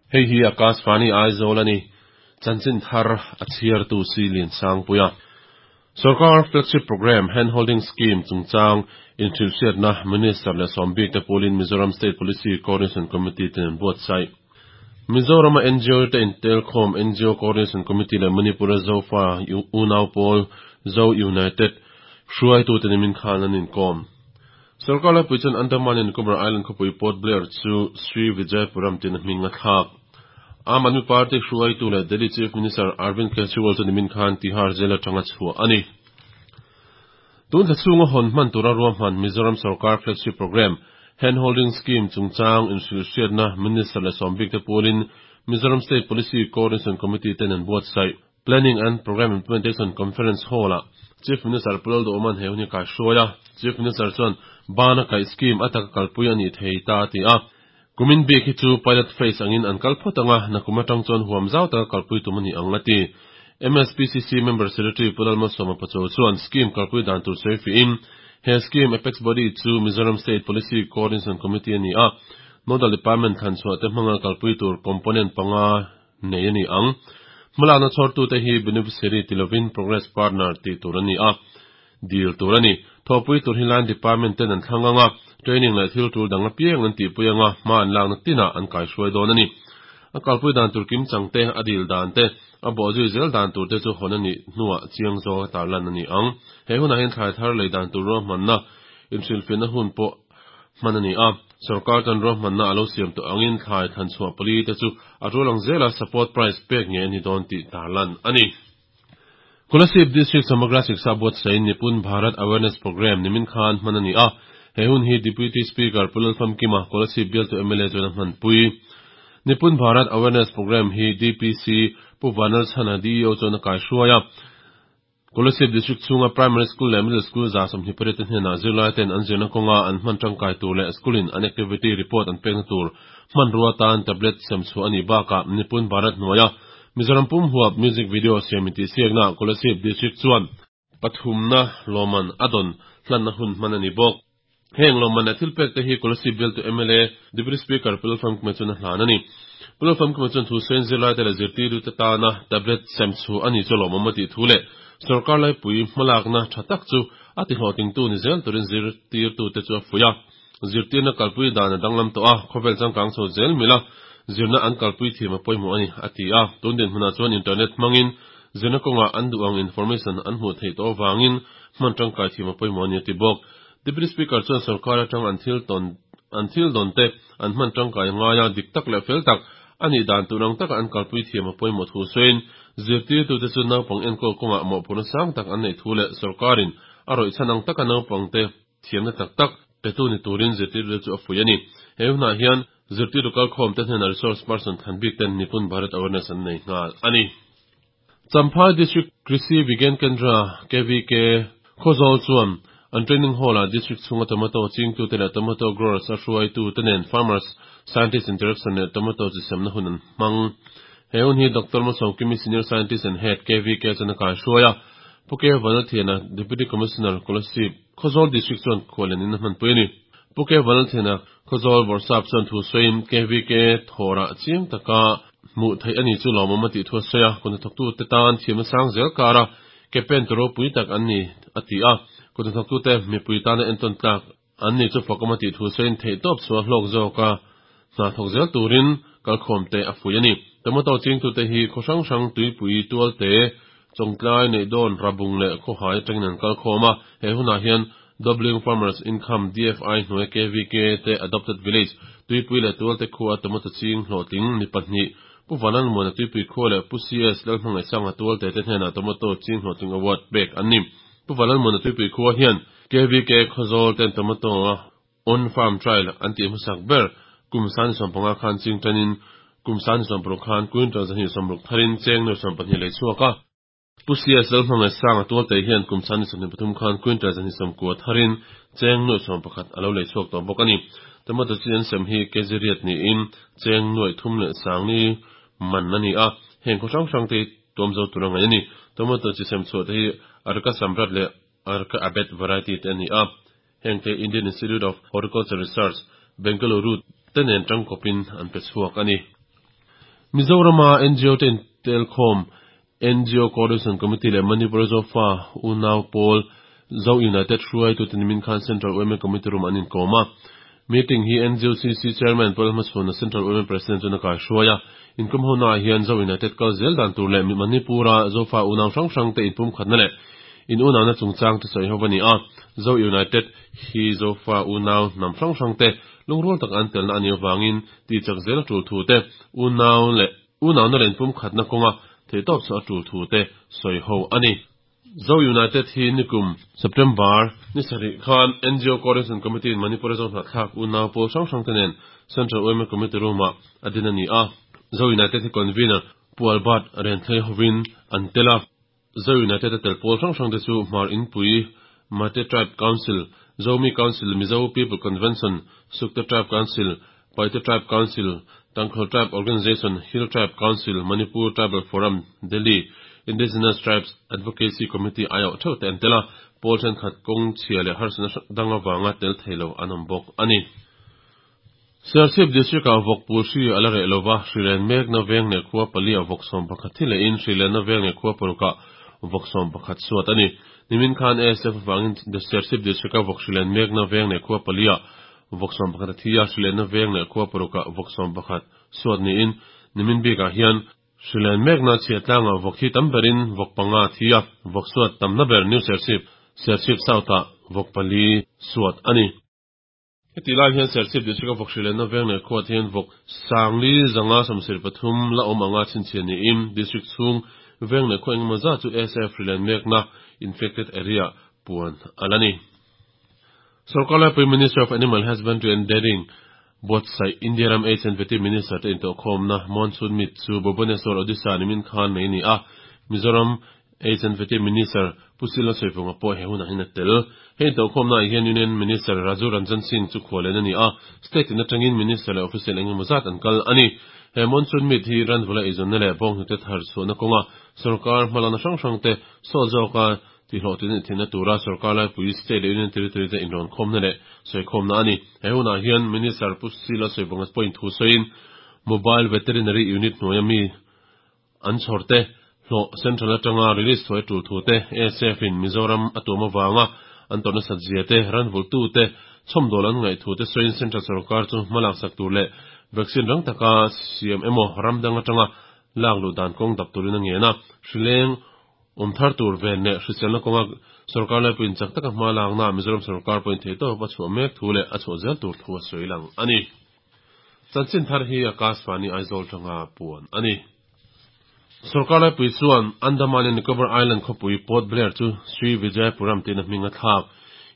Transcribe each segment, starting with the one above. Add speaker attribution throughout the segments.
Speaker 1: Hei hi Akashvani Aizawl a ni. Chanchin thar a chhiartu si Liansangpuia. Sorkar Flagship Programme Hand Holding Scheme chungchang inhrilhhriatna Minister leh sawmbik te pawlin Mizoram State Policy Coordination Committee ten an buatsaih. Mizorama NGO te intelkhawm NGO Coordination Committee leh Manipur-a Zofa unau pawl Zo United hruaitute nimin khan an inkawm. Sorkar laipui chuan Andaman and Nicobar Island khawpui Port Blair chu Sri Vijayapuram tiin a hming a thlak. Aam Aadmi Party hruaitu leh Delhi Chief Minister Arvind Kejriwal chu nimin khan Tihar Jail atanga chhuah a ni. Tun thla chhunga hawn hman tura ruahman Mizoram Sorkar Flagship Programme, Hand Holding Scheme chungchang inhrilhhriatna Minister leh sawmbik te pualin Mizoram State Policy Coordination Committee ten an buatsaih. Planning and Programme Implementation Conference Hall-ah Chief Minister Pu Lalduhawma'n he hun hi kaihruai a. Chief Minister chuan bana kaih scheme a taka kalpui a nih thei ta a ti a. Kumin bik hi chu pilot phase angin an kal phawt ang a, nakum atang chuan huam zau taka kalpui tum a ni ang a ti. MSPCC Member Secretary Pu Lalmalsawma Pachuau chuan scheme kalpui dan tur sawi fihin, he scheme apex body chu Mizoram State Policy Coordination Committee a ni a, Nodal Department thlanchhuah te hmanga kalpui tur component panga nei a ni ang. Hmalakna chhawrtute hi beneficiary ti lovin progress partner tih tur a ni a, dil tur a ni. Thawhpui tur hi line department ten an thlang ang a, training leh thil tul dang apiang an tihpui ang a, hma an lakna tinah an kaihruai dawn a ni. A kalpui dan tur kim chang te, a dil dan te, a bawhzui zel dan tur te chu hawn a nih hnuah chiang zawka tarlan a ni ang. He hunah hian thlai thar lei dan tur ruahmanna inhrilhfiahna hun pawh hman a ni a, sorkar chuan ruahmanna a lo siam tawh angin thlai thlanchhuah pali te chu a tul ang zela support price pek ngei a ni dawn tih tarlan a ni. Kolasib District Samagra Shiksha buatsain Nipun Bharat Awareness Programme nimin khan hman a ni a, he hun hi Deputy Speaker Pu Lalfamkima, Kolasib bialtu mla chuan a hmanpui. Nipun Bharat Awareness Programme hi DPC Pu Vanlalchhana DEO chuan a kaihruai a, Kolasib District chhunga Primary School leh Middle School 28 te hnenah zirlai ten an zirna kawnga an hman tangkai tur leh school in an activity report an pekna tur hmanrua tan tablet sem chhuah a nih bakah Nipun Bharat hnuaia Mizoram pum huap music video siam intihsiaknaah Kolasib District chuan pathumna lawmman a dawn hlanna hun hman a ni bawk. Heng lawmman leh thil pek te hi Kolasib bialtu mla Deputy Speaker Pu Lalfamkima chuan a hlan a ni. Pu Lalfamkima chuan thu sawiin zirlaite leh zirtirtute tana tablet sem chu a ni chu lawmawm a tih thu leh sorkar laipui hmalakna tha tak chu a tihlawhtlingtu ni zel turin zirtirtute chu a fuih a. Zirtirna kalpui dan a danglam tawh a, khawvel changkang chho zel mila zirna an kalpui thiam a pawimawh a ni, a ti a. Tun dinhmunah chuan internet hmangin zirna kawngah an duh ang information an hmuh theih tawh avangin hman tangkai thiam a pawimawh a ni, a ti bawk. Deputy Speaker chuan sorkar atang an thil tawn an thil dawn te an hman tangkai ngai a, dik tak leh fel tak a nih dan tur ang taka an kalpui thiam a pawimawh thu sawiin zirtirtute chu naupang enkawl kawngah mawhphurhna sang tak an neih thu leh sorkarin a rawih chhan ang taka naupangte thiamna tak tak petu ni turin zirtirtute chu a fuih a ni. He hunah hian zirtirtu kalkhawmte hnenah resource person thlan bik ten Nipun Bharat Awareness an nei nghal a ni. Champhai District Krishi Vigyan Kendra, KVK, Khawzawl chuan an training hall-ah district chhunga tomato chingtute leh tomato growers a hruaitute nen Farmers Scientist Interaction leh tomato chi semna hun an hmang. He hun hi Doctor Malsawmkimi Senior Scientist and Head, KVK chuan a kaihruai a, Pu K Vanlalthiana, Deputy Commissioner, Kolasib, Khawzawl District chuan khuallian in a hmanpui a ni. Pu K Vanlalthiana, Khawzawl Bawrhsap chuan thu sawiin KVK thawrah chiang taka Hmuh theih a ni chu lawmawm a tih thu a sawi a, kut hnathawktute tan thiamna sang zel kara ke pen tu ropui tak an ni a ti a, kut hnathawktute mipui tana entawn tlak an ni chu fakawm a tih thu sawiin theihtawp chhuah hlawk zawka hna thawk zel turin kalkhawmte a fuih a ni. Tomato chingtute hi khaw hrang hrang tuipui tualte Chawngtlai Neihdawn Rabung leh Khawhai atangin an kalkhawm a, he hunah hian Doubling Farmers Income, DFI, hnuai KVK te Adopted Village, Tuipui leh Tualte khua tomato ching hlawhtling mi pahnih, Pu Vanlalmuana Tuipui khua leh Pu CS Lalhmangaihsanga Tualte te hnenah tomato ching hlawhtling award pek an ni. Pu Vanlalmuana Tuipui khua hian KVK Khawzawl ten tomato a On Farm Trial an tih hmasak ber kum 25 khan ching tanin kum 26 khan quintal 160 tharin cheng 22 lei chhuak a. Pu CS Lalhmangaihsanga Tualte hian kum 23 khan quintal 190 tharin cheng 11 a lo lei chhuak tawh bawk a ni. Tomato chi an sem hi kg riat niin cheng nuaih thum leh sangni man a ni a, heng khaw hrang hrang te hi tuam zo tur a ngaih a ni. Tomato chi sem chhuah te hi Arka Samrat leh. Arka Abet variety te a ni a. Hengte Indian Institute of Horticulture Research, Bengaluru te nen tangkawpin an pe chhuak a ni. Mizorama ngo te intelkhawm ngo Coordination Committee leh Manipur Zofa Unau Pawl Zo United hruaitute nimin khan Central yma Committee Room an inkawm a. Meeting hi NGOCC Chairman Paul Hmachhuana Central yma President chuan a kaihruai a. Inkawm honaah hian Zo United kal zel dan tur leh Manipur-a Zofa unau hrang hrangte inpumkhatna leh in unauna chungchang te sawi ho a ni a. Zo United hi Zofa unau hnam hrang hrangte lungrual taka an telna a nih avangin tihchak zel a tul thu te, unau leh unauna leh inpumkhatna kawnga theihtawp chhuah a tul thu te sawi ho a ni. Zo United hi nikum September ni sarih khan ngo Coordination Committee in Manipur-a zo hnahthlak unau pawl hrang hrangte nen Central yma Committee Room-ah a din a ni a. Zo United hi Convener Pu Albert Renthlei hovin an tel a. Zo United a tel pawl hrang hrangte chu Hmar Inpui, Mate Tribe Council, Zomi Council, Mizo People Convention, Sukte Tribe Council, Paite Tribe Council, Tangkhul Tribe Organisation, Hill Tribe Council, Manipur Tribal Forum, Delhi, Indigenous Tribes Advocacy Committee aiawh theuh te an tel a, pawl thenkhat kawng chhia leh harsatna dang avanga tel thei lo an awm bawk a ni. Serchhip District-ah vawk pul hri a la reh lova, hrilen mekna veng leh khua paliah vawk 11 thi lehin hrilenna veng leh khua parukah vawk 11 suat a ni. Nimin khan ASF avangin Serchhip District-a vawk hrilen mekna veng leh khua paliah vawk 11 a thi a, hrilenna veng leh khua parukah vawk 11 suat niin nimin bikah hian hrilen mekna chhiat tlangah vawk thi tam berin vawk panga a thi a, vawk suat tamna ber New Serchhip, Serchhip South-ah vawk pali suat a ni. Heti lai hian Serchhip District-a vawk hrilenna veng leh khuat hian vawk sangli zanga 73 la awm anga chhinchhiah niin District chhung veng leh khua engemaw zat chu ASF hrilen mekna, infected area, puan a la ni. Sorkar laipui Minister of Animal Husbandry and Dairying buatsaih India ram Aids and Vety Minister te intawhkhawmna Monsoon Meet chu Bhubaneswar, Odisha nimin khan nei a ni a, Mizoram Aids and Vety Minister Pu Sila Sawifunga pawh he hunah hian a tel. Hei intawhkhawmnaah hian Union Minister Raju Ranjan Singh chu khualen a ni a, state in atangin Minister leh official eng emaw zat an kal a ni. He monsoon meet hi ranvula eizawnna leh bawnghnute thar chhuahna kawnga sorkar hmalakna hrang hrangte sawt zawka tihhlawhtlin a thinna tura sorkar laipui state leh Union Territory te inrawnkhawmna leh sawikhawmna a ni. He hunah hian Minister Pu Sila Sawifunga pawhin thu sawiin Mobile Veterinary Unit hnuaia mi An chhawrte hlawh Central atanga release thuai tul thu te, ASF in Mizoram a tuam avanga an tawrh nasat zia te, ranvultu te chhawmdawl an ngaih thu te sawiin Central sorkar chu hma laksak tur leh vaccine rang taka siam emaw ram dang atanga lak luh dan kawng dap turin a ngen a, hrileng awm thar tur ven leh hriselna kawnga sorkar laipuiin chak taka hma laknaah Mizoram sorkar pawhin theihtawp a chhuah mek thu leh a chhuah zel tur thu a sawi lang a ni. Chanchin thar hi Akashvani Aizawl tanga puan a ni. Sorkar laipui chuan Andaman and Nicobar Island khawpui Port Blair chu Sri Vijayapuram tiin a hming a thlak.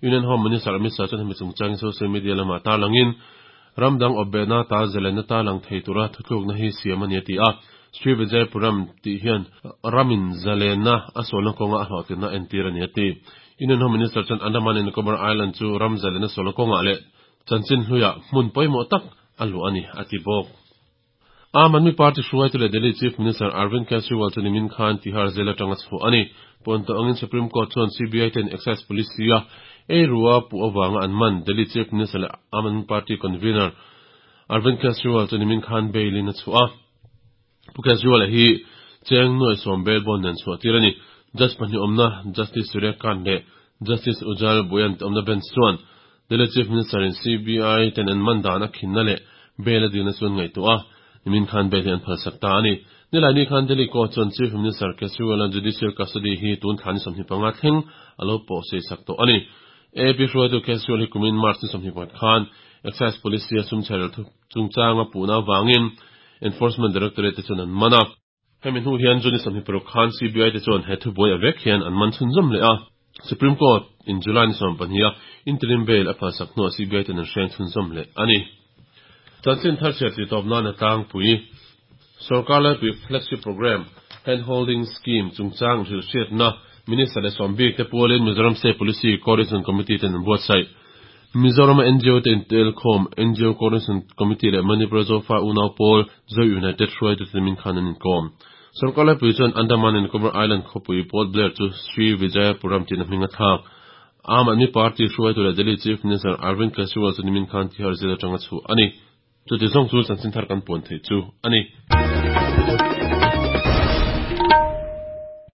Speaker 1: Union Home Minister Amit Shah chuan hemi chungchangin social media lamah tarlangin ram dang awpbehna ta zalenna tarlang thei tura thuthlukna hi siam a ni a ti a. Sri Vijayapuram tih hian ramin zalenna a sualna kawnga a hlawhtlinna entir a ni a ti. Union Home Minister chuan Andaman and Nicobar Island chu ram zalenna sualna kawngah leh Chanchin hluiah hmun pawimawh tak a luah a ni, a ti bawk. Aam Aadmi Party hruaitu leh Delhi Chief Minister Arvind Kejriwal chu nimin khan Tihar jail atanga chhuah a ni. Pawn tawh angin Supreme Court chuan CBI ten Excise Policy-a ei rua puh avanga an man Delhi Chief Minister leh Aam Aadmi Party Convener Arvind Kejriwal chu nimin khan bail-in a chhuah a. Pu Kejriwal-a hi cheng nuai sawm bail bond nen chhuah tir a ni. Judge pahnih awmna Justice Surya Kant leh Justice Ujjal Bhuyan te awmna bench chuan Delhi Chief Minister in CBI ten an man dan a khinna leh bail a dilna chu an ngaihtuah a, nimin khan bail hi an phalsak ta a ni. Nilaini khan Delhi Court chuan Chief Minister Kejriwal-a judicial custody hi tun thla ni 25 thleng a lo pawh sei sak tawh a ni. AAP hruaitu Kejriwal hi kumin March ni 21 khan Excise Policy-a sum chherel thu chungchanga puhna avangin Enforcement Directorate te chuan an man a. Hemi hnu hian June 26 khan CBI te chuan he thubuai a vek hian an man chhunzawm leh a. Supreme Court in July ni 12 a interim bail a phalsak hnuah CBI ten an hreng chhunzawm leh a ni. Chanchin thar chhiar tih tawp nan a tlangpui. Sorkar laipui Flagship Programme, Hand Holding Scheme chungchang hrilhhriatna Minister leh sawm bik te pualin Mizoram State Policy Coordination Committee ten an buatsaih. Mizorama ngo te intelkhawm, ngo Coordination Committee leh Manipur Zofa Unau Pawl, Zo United hruaitute min khan an inkawm. Sorkar laipui chuan Andaman and Nicobar Island khawpui Port Blair chu Sri Vijayapuram tiin a hming a thlak. Aam Aadmi Party hruaitu leh Delhi Chief Minister Arvind Kejriwal chu nimin khan Tihar jail atanga chhuah a ni. Chuti zawng chu chanchin thar kan puan theih chu a ni.